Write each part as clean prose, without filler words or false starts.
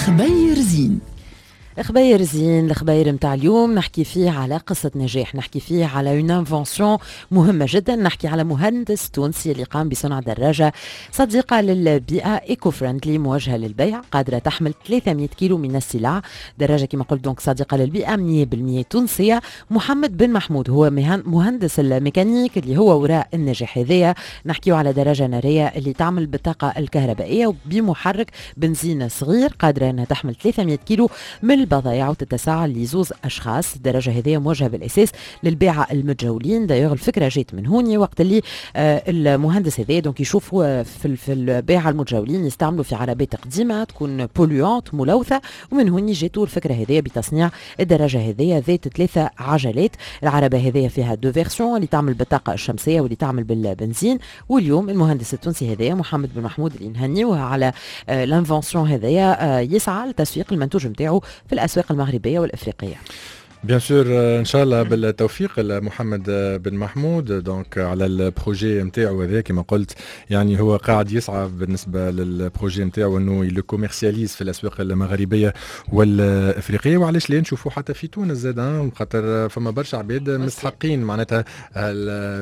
خبير زين. خبير زين، الخبير متاع اليوم نحكي فيه على قصة نجاح، نحكي فيه على une invention مهمة جدا، نحكي على مهندس تونسي اللي قام بصنع دراجة صديقة للبيئة eco-friendly موجهة للبيع، قادرة تحمل 300 كيلو من السلع. دراجة كما قلت donc صديقة للبيئة، 100% تونسية. محمد بن محمود هو مهندس الميكانيك اللي هو وراء النجاح هذايا. نحكيو على دراجة نارية اللي تعمل بالطاقة الكهربائية وبمحرك بنزين صغير، قادرة انها تحمل 300 كيلو من البضائع وتتسع لزوز اشخاص. الدراجة هذه موجهة بالاساس للباعه المتجولين. d'ailleurs الفكرة جات من هوني، وقت اللي المهندس هذا donc يشوفوا في الباعه المتجولين يستعملوا في عربات قديمة تكون polluantes، ملوثه، ومن هوني جاتوا الفكرة هذه بتصنيع الدراجة هذه ذات ثلاثة عجلات. العربة هذه فيها deux versions، اللي تعمل بالطاقة الشمسية واللي تعمل بالبنزين. واليوم المهندس التونسي هذايا محمد بن محمود اللي نهنيوه على l'invention هذايا يسعى لتسويق المنتوج نتاعو في الاسواق المغربية والافريقيه. bien sûr، ان شاء الله بالتوفيق لمحمد بن محمود donc على ال projet نتاعو هذا. كما قلت، يعني هو قاعد يسعى بالنسبة لل projet نتاعو انه le commercialise في الاسواق المغربية والافريقيه، وعلاش لا نشوفوا حتى في تونس زاد، خاطر فما برشا عباد مستحقين معناتها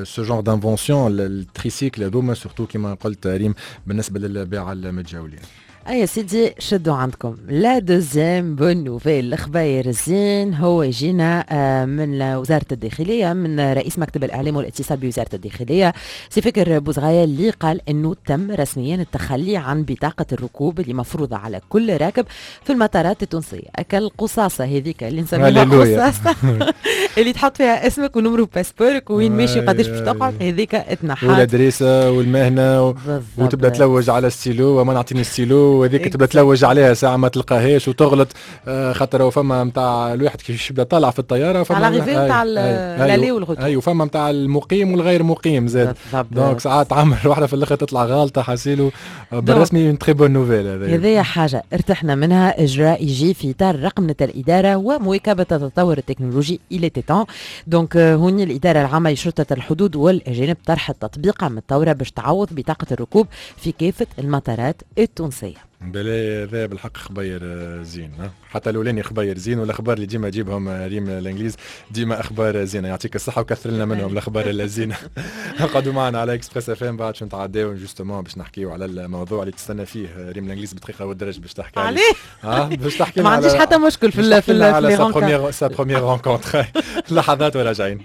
ce genre d'invention، ال tricycles هذوما، surtout كما قلت ريم بالنسبة للباعه المتجولين. اي سيدي، شدوا عندكم la deuxième bonne nouvelle. الخبير الزين هو يجينا من وزارة الداخليه، من رئيس مكتب الاعلام والاتصال بوزارة الداخلية سي فكر بوزغاية، اللي قال انه تم رسميا التخلي عن بطاقة الركوب اللي مفروضة على كل راكب في المطارات التونسيه. اكل القصاصه هذيك اللي نسميها قصاصه، اللي تحط فيها اسمك و numéro passeport ك وين ماشي وقداش باش تقعد، هذيك تنحات. وال adresse والمهنه وتبدا تلوج على ستيلو وما نعطيني ستيلو، وهذيك تبدا تلوج عليها ساعة ما تلقاهاش وتغلط، خاطر فما نتاع الواحد كيف يبدا طالع في الطياره. فما على نتاع l'aller وال retour. اي، وفما نتاع المقيم والغير مقيم زاد، donc ساعات تعمل واحدة في الاخر تطلع غالطه. حاسيلو بالرسمي très bonne nouvelle. هذا هذه حاجة ارتحنا منها. اجراء يجي في اطار رقمنه الادارة ومواكبه التطور التكنولوجي، il était temps. donc هوني الادارة العامة لشرطه الحدود والاجانب طرحت تطبيقه متطورة باش تعوض بطاقة الركوب في كافة المطارات التونسيه. بلا هذا بالحق خبير زين، حتى الاولاني خبير زين، والاخبار اللي ديما تجيبهم ريم الانجليز ديما اخبار زينه. يعطيك الصحة وكثر لنا منهم الاخبار الزينه. اقعدوا معنا على Express FM، بعد شو نتعداو justement باش نحكيو على الموضوع اللي تستنى فيه ريم الانجليز بدقيقة والدرج باش تحكي عليه. ها باش تحكي. ما عنديش حتى مشكل في في sa première rencontre. لحظات وراجعين.